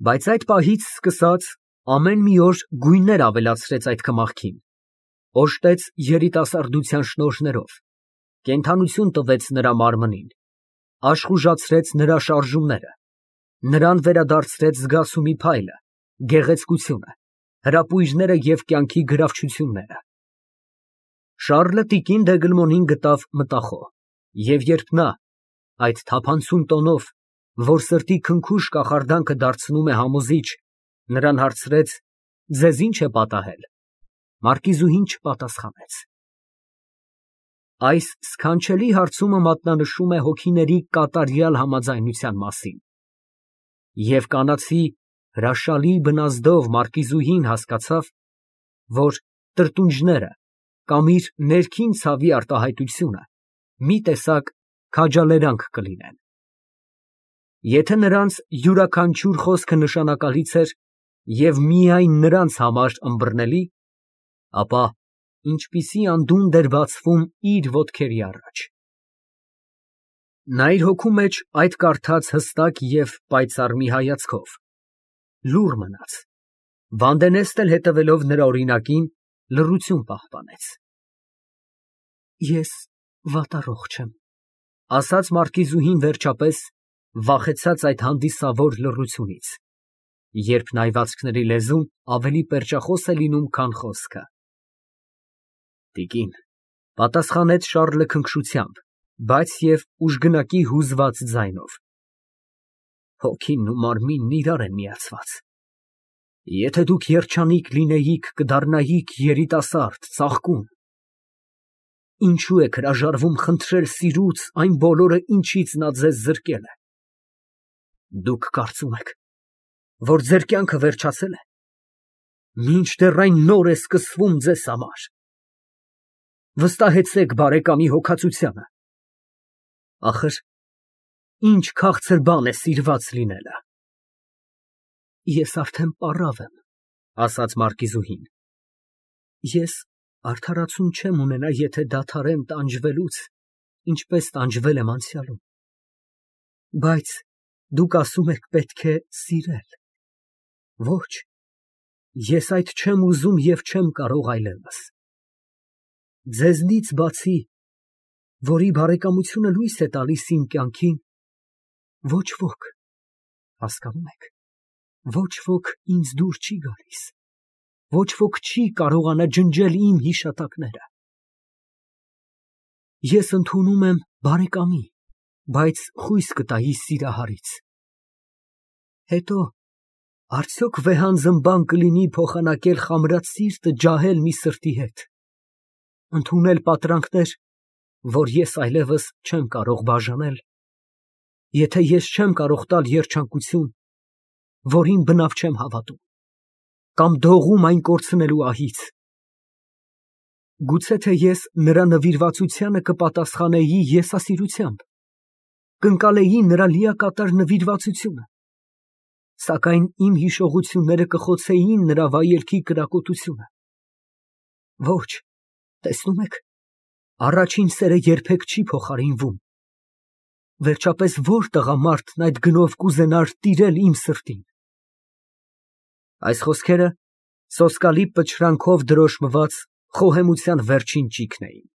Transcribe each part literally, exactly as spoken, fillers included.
Բայց այդ պահից սկսած ամեն մի օր գույներ ավելացրեց այդ կմախքին, օժտեց երիտասարդության շնորհներով, կենդանություն տվեց նրա մարմնին, աշխուժացրեց նրա շարժումները, նրան վերադարձրեց զգացումի փայլը, գեղեցկությունը, հրապույրները և կյանքի գրավչությունները։ Շառլը տիկին Դեգլմոնին գտավ մտախոհ, և երբ նա այդ թափանցում տոնով, որ սրտի քնքուշ կախարդանքը դարձնում է համոզիչ, նրան հարցրեց. «Ձեզ ի՞նչ է պատահել», մարկիզուհին չպատասխանեց։ Այս սքանչելի հարցումը մատնանշում է հոգիների կատարյալ համաձայնության մասին, և կանացի հրաշալի բնազդով մարկիզուհին հասկացավ, որ տրտունջները կամ իր ներքին ցավի արտահայտությունը մի տեսակ քաջալերանք կլինեն։ Եթե նրանց յուրաքանչյուր խոսքը նշանակալից էր և միայն նրանց համար ըմբռնելի, ապա ինչպիսի անդունդ էր բացվում իր ոտքերի առաջ։ Նա իր հոգու մեջ այդ կարդաց հստակ և պայծառ մի հայացքով, լուռ մնաց, Վանդենեսն էլ հետևելով նրա օրինակին, լռություն պահպանեց։ Ես վատառողջ եմ, ասաց մարկիզուհին վերջապես, վախեցած այդ հանդիսավոր լռությունից, երբ նայվածքների լեզուն ավելի պերճախոս է լինում, քան խոսքը։ Տիկին, պատասխանեց Շառլը քնքշությամբ, բայց և ուժգնակի հուզված ձայնով, հոգին ու մարմինն իրար են միացված։ Եթե դուք երջանիկ լինեիք, կդառնայիք երիտասարդ, ծաղկուն։ Ինչո՞ւ եք հրաժարվում խնդրել սիրուց այն բոլորը, ինչից նա ձեզ զրկել է։ Դուք կարծում եք, որ ձեր կյանքը վերջացել է, մինչդեռ այն նոր է սկսվում ձեզ համար։ Վստահեցեք բարեկամի հոգածությանը։ Ախր ինչ քաղցր բան է սիրված լինելը։ Ես արդեն պառավ եմ, ասաց մարկիզուհին։ Ես արդարացում չեմ ունենա, եթե դադարեմ տանջվելուց, ինչպես տանջվել եմ անցյալում։ Բայց դուք ասում եք պետք է սիրել։ Ոչ, ես այդ չեմ ուզում և չեմ կարող այլևս։ Ձեզնից բացի, որի բարեկամությունը լույս է տալիս իմ կյանքին, ոչ ոք, հասկանում եք, ոչ ոք ինձ դուր չի գալիս, ոչ ոք չի կարողանա ջնջել իմ հիշատակները։ Ես ընդունում եմ բարեկամի, բայց խույս կտայի սիրահարից։ Հետո արդյոք վեհանձն բան կլինի փոխանակել խամրած սիրտը ջահել մի սրտի հետ, ընդունել պատրանքներ, որ ես այլևս չեմ կարող բաժանել, եթե ես չեմ կարող տալ երջանկություն, որին բնավ չեմ հավատում, կամ դողում այն կորցնելու ահից։ Գուցե թե ես նրա նվիրվածությանը կպատասխանեի եսասիրությամբ, կընկալեի նրա լիակատար նվիրվածությունը, սակայն իմ հիշողությունները կխոցեին նրա վայելքի կրակոտությունը։ Ոչ, տեսնում եք, առաջին սերը երբեք չի փոխարինվում։ Վերջապես ո՞ր տղամարդն այդ գնով կուզենար տիրել իմ սրտին։ Այս խոսքերը սոսկալի պչրանքով դրոշմված խոհեմության վերջին ճիգն էին։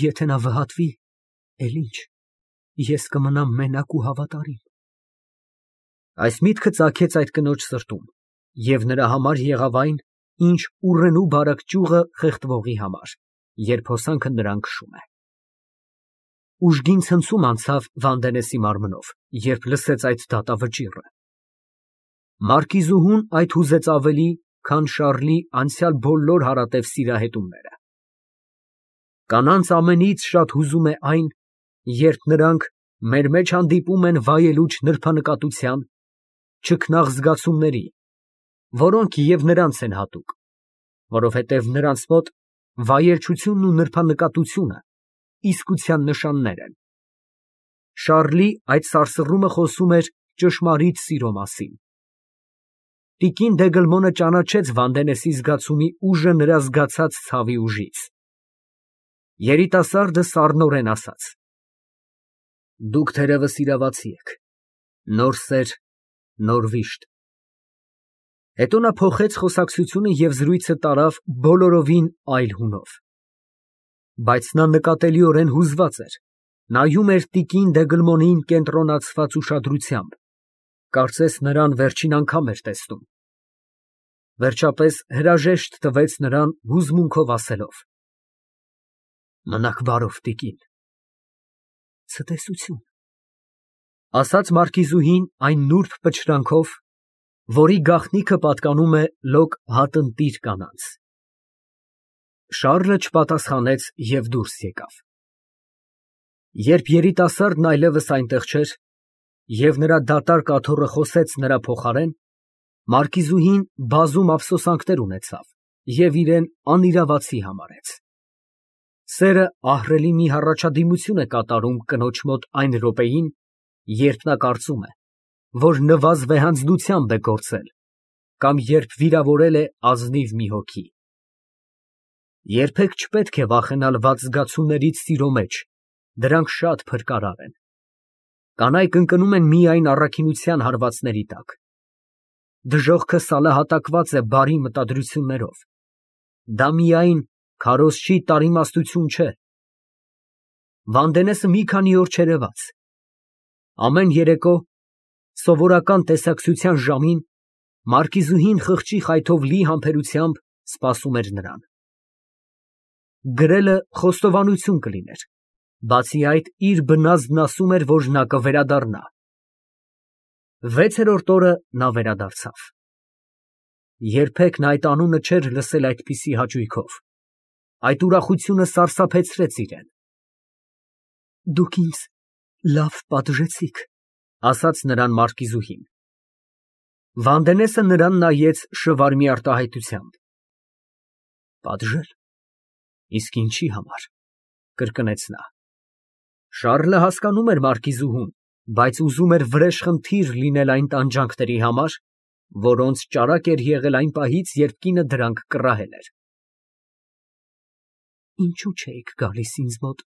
Եթե նա վհատվի, էլ ինչ, ես կմնամ մենակ ու հավատարիմ։ Այս միտքը ծագեց այդ կնոջ սրտում և նրա համար եղավ այն, ինչ ուռենու բարակ ճյուղը խեղդվողի համար, երբ հոսանքը նրան քշում է։ Ուժգին ցնցում անցավ Վանդենեսի մարմնով, երբ լսեց այդ դատավճիռը։ Մարկիզուհուն այդ հուզեց ավելի, քան Շառլի անցյալ բոլոր հարատև սիրահետումները։ Կանանց ամենից շատ հուզում է այն, երբ նրանք մեր մեջ հանդիպում են վայելուչ նրբանկատության, չքնաղ զգացումների, որոնք և նրանց են հատուկ, որովհետև նրանց մոտ վայելչությունն ու նրբանկատությունը իսկության նշաններ են։ Շառլի այդ սարսռումը խոսում էր ճշմարիտ սիրո մասին։ Տիկին Դեգլմոնը ճանաչեց Վանդենեսի զգացումի ուժը նրա զգացած ցավի ուժից։ Երիտասարդը սառնորեն ասաց. Դուք թերևս իրավացի եք, նոր սեր Նոր վիշտ։ Հետո նա փոխեց խոսակցությունը և զրույցը տարավ բոլորովին այլ հունով։ Բայց նա նկատելիորեն հուզված էր, նայում էր տիկին Դեգլմոնին կենտրոնացված ուշադրությամբ, կարծես նրան վերջին անգամ էր տեսնում։ Վերջապես հրաժեշտ տվեց նրան հուզմունքով ասելով. Մնաք բարով, տիկին։ Ցտեսություն, ասաց մարկիզուհին այն նուրբ պչրանքով, որի գաղտնիքը պատկանում է լոկ հատնտիր կանանց։ Շառլը չպատասխանեց և դուրս եկավ։ Երբ երիտասարդն այլևս այնտեղ չէր, և նրա դատարկ աթոռը խոսեց նրա փոխարեն, մարկիզուհին բազում ափսոսանքներ ունեցավ և իրան անիրավացի համարեց։ Սերը ահռելի մի հառաջադիմություն է կատարում կնոջ մոտ այն րոպեին, երբ նա կարծում է, որ նվազ վեհանձնությամբ է գործել կամ երբ վիրավորել է ազնիվ մի հոգի։ Երբեք չպետք է վախենալ վատ զգացումներից սիրո մեջ, դրանք շատ փրկարար են։ Կանայք ընկնում են միայն առաքինության հարվածների տակ։ Դժոխքը սալահատակված է բարի մտադրություններով։ Դա միայն քարոզչի տարիմաստություն չէ։ Վանդենեսը մի քանի օր չերևաց։ Ամեն երեկո, սովորական տեսակցության ժամին, մարկիզուհին խղճի խայթով լի համբերությամբ սպասում էր նրան։ Գրելը խոստովանություն կլիներ, բացի այդ, իր բնազդն ասում էր, որ նա կվերադառնա։ Վեցերորդ օրը նա վերադարձավ։ Երբեք նա այդ անունը չէր լսել այդպիսի հաճույքով։ Այդ ուրախությունը սարսափեցրեց իրան։ Դուք ինձ լավ պատժեցիք, ասաց նրան մարկիզուհին։ Վանդենեսը նրան նայեց շվարմի արտահայտությամբ։ Պատժել, իսկ ինչի համար, կրկնեց նա։ Շառլը հասկանում էր մարկիզուհուն, բայց ուզում էր վրեժխնդիր լինել այն տանջանքների համար, որոնց ճարակ էր եղել այն պահից, երբ կինը դրանք կռահել էր։ Ինչո՞ւ չէիք գալիս ինձ մոտ,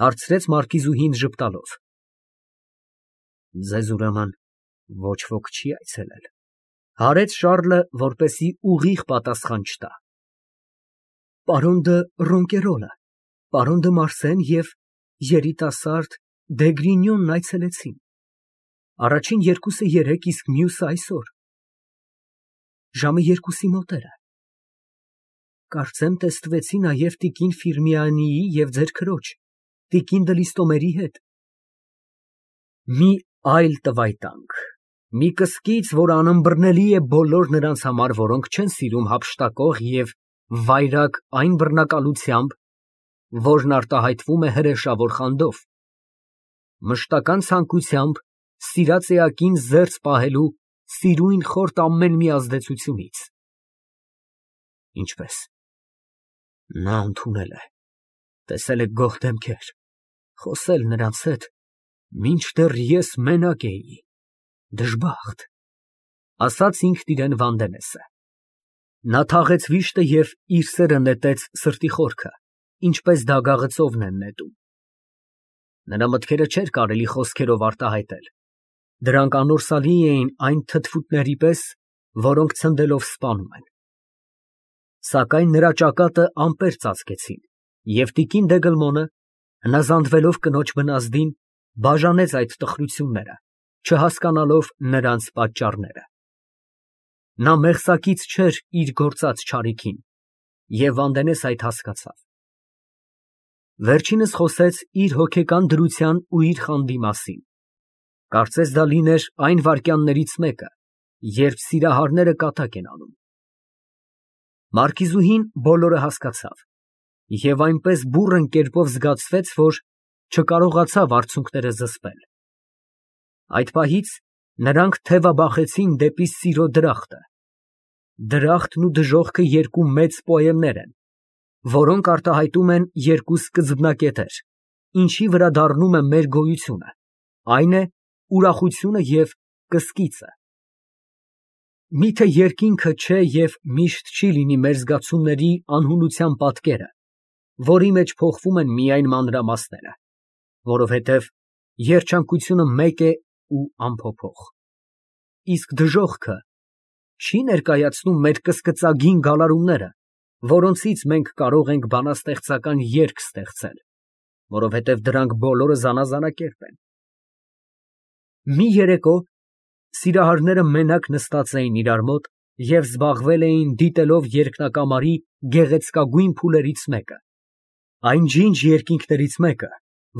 հարցրեց մարկիզուհին ժպտալով։ Ձեզ ուրեմն ոչ ոք չի այցելել, հարեց Շառլը, որպեսզի ուղիղ պատասխան չտա։ Պարոն դը Ռոնկերոլը, պարոն դը Մարսեն և երիտասարդ Դեգրինյոնն այցելեցին։ Առաջին երկուսը երեկ, իսկ մյուսը այսօր։ Ժամը երկուսի մոտեր է։ Կարծեմ տեսնվեցի նաև տիկին Ֆիրմիանիի և ձեր քրոջ, տիկին դը Լիստոմերի հետ։ Մի այլ տվայտանք, մի կսկիծ, որ անըմբռնելի է բոլոր նրանց համար, որոնք չեն սիրում հափշտակող և վայրագ այն բռնակալությամբ, որն արտահայտվում է հրեշավոր խանդով, մշտական ցանկությամբ սիրած էակին զերծ պահելու սիրույն խորտ ամեն մի ազդեցությունից։ Ինչպես։ Նա ընդունել է, տեսել է գող դեմքեր, խոսել նրանց հետ, մինչդեռ ես մենակ էի, դժբախտ, ասաց ինքն իրան Վանդենեսը։ Նա թաղեց վիշտը և իր սերը նետեց սրտի խորքը, ինչպես դագաղը ծովն են նետում։ Նրա մտքերը չէր կարելի խոսքերով արտահայտել, դրանք անորսալի էին այն թթվուտների պես, որոնք ցնդելով սպանում են։ Սակայն նրա ճակատը ամպեր ծածկեցին, և տիկին Դեգլմոնը, հնազանդվելով կնոջ բնազդին, բաժանեց այդ տխրությունները, չհասկանալով նրանց պատճառները։ Նա մեղսակից չէր իր գործած չարիքին, և Վանդենեսը այդ հասկացավ։ Վերջինս խոսեց իր հոգեկան դրության ու իր խանդի մասին։ Կարծես դա լիներ այն վայրկյաններից մեկը, երբ սիրահարները կատակ են անում։ Մարկիզուհին բոլորը հասկացավ և այնպես բուռն կերպով զգացվեց, որ չկարողացավ արցունքները զսպել։ Այդ պահից նրանք թևաբախեցին դեպի սիրո դրախտը։ Դրախտն ու դժոխքը երկու մեծ պոեմներ են, որոնք արտահայտում են երկու սկզբնակետեր, ինչի վրա դառնում է մեր գոյությունը, այն է ուրախությունը և կսկիծը։ Միթե երկինքը չէ և միշտ չի լինի մեր զգացումների անհունության պատկերը, որի մեջ փոխվում են միայն մանրամասները, որովհետև երջանկությունը մեկ է ու անփոփոխ։ իսկ դժոխքը չի ներկայացնում մեր կսկծագին գալարումները, որոնցից մենք կարող ենք բանաստեղծական երգ ստեղծել, որովհետև դրանք բոլորը զանազանակերպ են։ Մի երեկո սիրահարները մենակ նստած էին իրար մոտ և զբաղվել էին դիտելով երկնակամարի գեղեցկագույն փուլերից մեկը, այն ջինջ երկինքներից մեկը,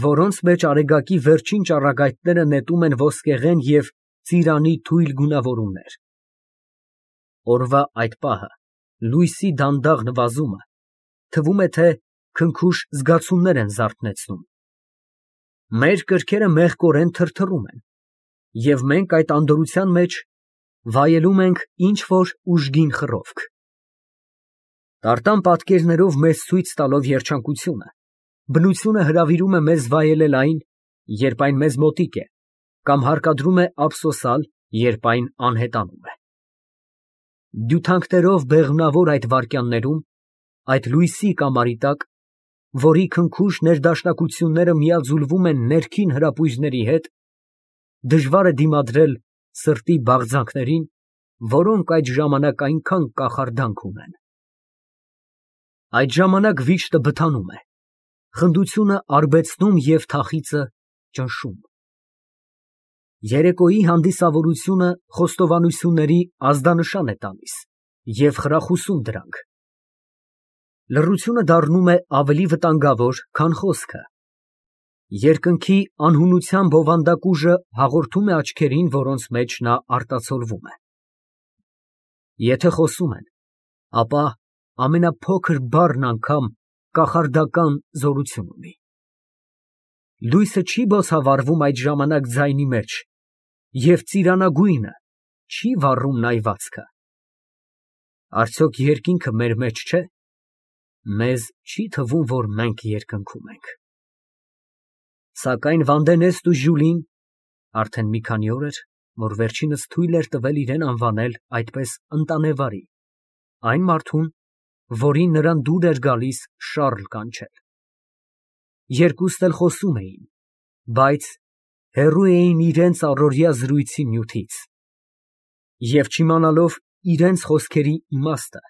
որոնց մեջ արեգակի վերջին ճառագայթները նետում են ոսկեղեն և ծիրանի թույլ գունավորումներ։ Օրվա այդ պահը, լույսի դանդաղ նվազումը, թվում է, թե քնքուշ զգացումներ են զարթնեցնում։ Մեր կրքերը մեղկորեն թրթռում են, և մենք այդ անդորրության մեջ վայելում ենք ինչ֊որ ուժգին խռովք։ Տարտան պատկերներով մեզ ցույց տալով երջանկությունը, բնությունը հրավիրում է մեզ վայելել այն, երբ այն մեզ մոտիկ է, կամ հարկադրում է ափսոսալ, երբ այն անհետանում է։ Դյութանքներով բեղմնավոր այդ վայրկյաններում, այդ լույսի կամարի տակ, որի քնքուշ ներդաշնակությունները միաձուլվում են ներքին հրապույրների հետ, դժվար է դիմադրել սրտի բաղձանքներին, որոնք այդ ժամանակ այնքան կախարդանք ունեն։ Այդ ժամանակ վիշտը բթանում է, խնդությունը արբեցնում և թախիծը ճնշում։ Երեկոյի հանդիսավորությունը խոստովանությունների ազդանշան է տալիս և խրախուսում դրանք։ Լռությունը դառնում է ավելի վտանգավոր, քան խոսքը։ Երկնքի անհունության բովանդակուժը հաղորդում է աչքերին, որոնց մեջ նա արտացոլվում է։ Եթե խոսում են, ապա ամենափոքր բառն անգամ կախարդական զորություն ունի։ Լույսը չի բոցավառվում այդ ժամանակ ձայնի մեջ, և ծիրանագույնը չի վառում նայվածքը։ Արդյոք երկինքը մեր մեջ չէ։ Մեզ չի թվում, որ մենք երկնքում ենք։ Սակայն Վանդենեսն ու Ժյուլին (արդեն մի քանի օր էր, որ վերջինս թույլ էր տվել իրան անվանել այդպես ընտանեվարի, այն մարդուն, որին նրան դուր էր գալիս Շառլ կանչել) երկուստ էլ խոսում էին, բայց հեռու էին իրենց առօրյա զրույցի նյութից, և չիմանալով իրենց խոսքերի իմաստը,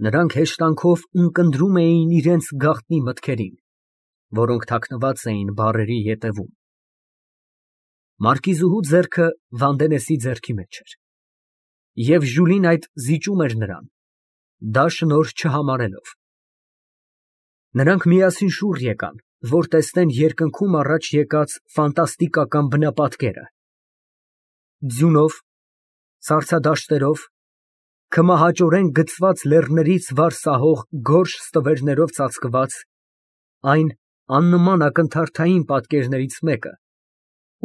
նրանք հեշտանքով ունկնդրում էին իրենց գաղտնի մտքերին, որոնք թաքնված էին բառերի ետևում։ Մարկիզուհու ձեռքը Վանդենեսի ձեռքի մեջ էր, և Ժյուլին այդ զիջում էր նրան, դա շնորհ չհամարելով։ Նրանք միասին շուռ եկան, որ տեսնեն երկնքում առաջ եկած ֆանտաստիկական բնապատկերը։ Ձյունով, սառցադաշտերով, քմահաճորեն գծված լեռներից վար սահող գորշ ստվերներով ծածկված, այն աննման ակնթարթային պատկերներից մեկը,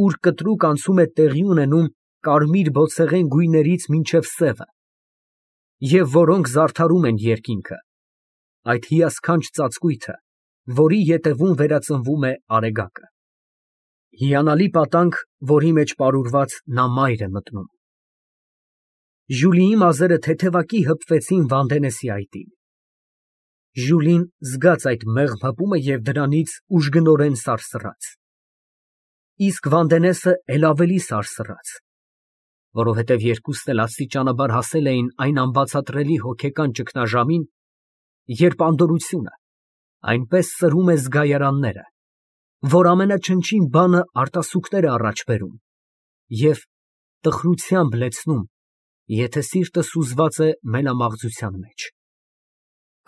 ուր կտրուկ անցում է տեղի ունենում կարմիր բոցեղեն գույներից մինչև սևը, և որոնք զարդարում են երկինքը, այդ հիասքանչ ծածկույթը, որի ետևում վերածնվում է արեգակը։ Հիանալի պատանք, որի մեջ պարուրված նա մայր է մտնում։ Ժյուլիի մազերը թեթևակի հպվեցին Վանդենեսի այտին։ Ժյուլին զգաց այդ մեղմ հպումը և դրանից ուժգնորեն սարսռաց։ Իսկ Վանդենեսը էլ ավելի սարսռաց, որովհետև երկուսն էլ աստիճանաբար հասել էին այն անբացատրելի հոգեկան ճգնաժամին, երբ անդորրությունը այնպես սրում է զգայարանները, որ ամենաչնչին բանը արտասուքներ է առաջ բերում և տխրությամբ լեցնում, եթե սիրտը սուզված է մենամաղձության մեջ,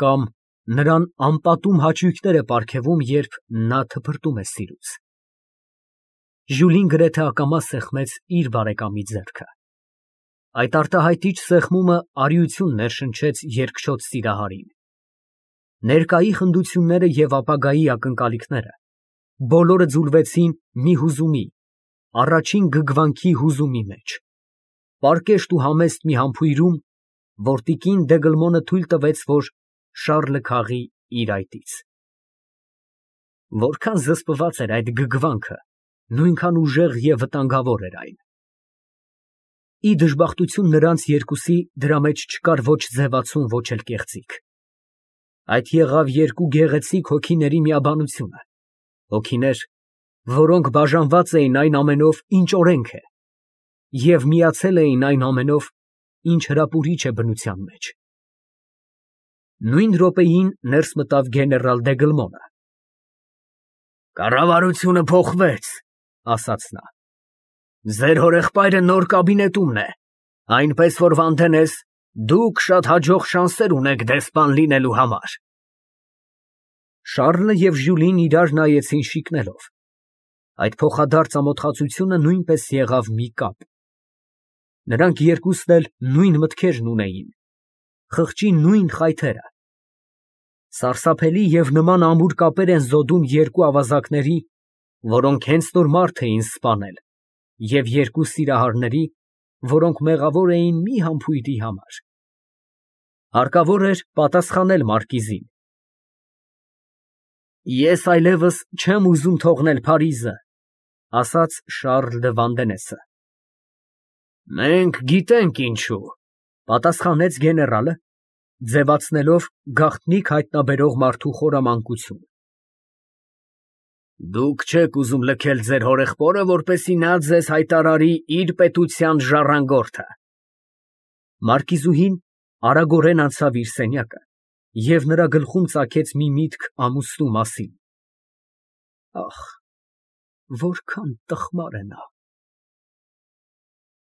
կամ նրան անպատում հաճույքներ է պարգևում, երբ նա թփրտում է սիրուց։ Ժյուլին գրեթե ակամա սեղմեց իր բարեկամի ձեռքը։ Այդ արտահայտիչ սեղմումը արիություն ներշնչեց երկչոտ սիրահարին։ Ներկայի խնդությունները և ապագայի ակնկալիքները բոլորը ձուլվեցին մի հուզումի, առաջին գգվանքի հուզումի մեջ, պարկեշտ ու համեստ մի համբույրում, որ տիկին Դեգլմոնը թույլ տվեց, որ Շառլը քաղի իր այտից։ Որքան զսպված էր այդ գգվանքը, նույնքան ուժեղ և վտանգավոր էր այն։ Ի դժբախտություն նրանց երկուսի դրա մեջ չկար ոչ ձևացում, ոչ էլ կեղծիք։ Այդ եղավ երկու գեղեցիկ հոգիների միաբանությունը, հոգիներ, որոնք բաժանված էին այն ամենով, ինչ օրենք է, և միացել էին այն ամենով, ինչ հրապուրիչ է բնության մեջ։ Նույն րոպեին ներս մտավ գեներալ Դեգլմոնը։ «Կառավարությունը փոխվեց, ֊ ասաց նա, ֊ ձեր հորեղբայրը նոր կաբինետումն է, այնպես որ Վանդենես, դուք շատ հաջող շանսեր ունեք դեսպան լինելու համար»։ Շառլը և Ժյուլին իրար նայեցին շիկնելով. այդ փոխադարձ ամոթխածությունը նույնպես եղավ մի կապ։ Նրանք երկուսն էլ նույն մտքերն ունեին, խղճի նույն խայթերը։ Սարսափելի և նման ամուր կապեր են զոդում երկու ավազակների, որոնք հենց նոր մարդ էին սպանել, և երկու սիրահարների, որոնք մեղավոր էին մի համբույրի համար։ Հարկավոր էր պատասխանել մարկիզին։ «Ես այլևս չեմ ուզում թողնել Փարիզը, ֊ ասաց Շառլ դը Վանդենեսը։ ֊ Մենք գիտենք ինչու, ֊ պատասխանեց գեներալը, ձևացնելով գաղտնիք հայտնաբերող մարդու խորամանկություն։ ֊ Դուք չեք ուզում լքել ձեր հորեղբորը, որպեսզի նա ձեզ հայտարարի իր պետության ժառանգորդը։ Մարկիզուհին արագորեն անցավ իր սենյակը և նրա գլխում ծագեց մի միտք ամուսնու մասին. «Ախ, որքան տխմար է նա»։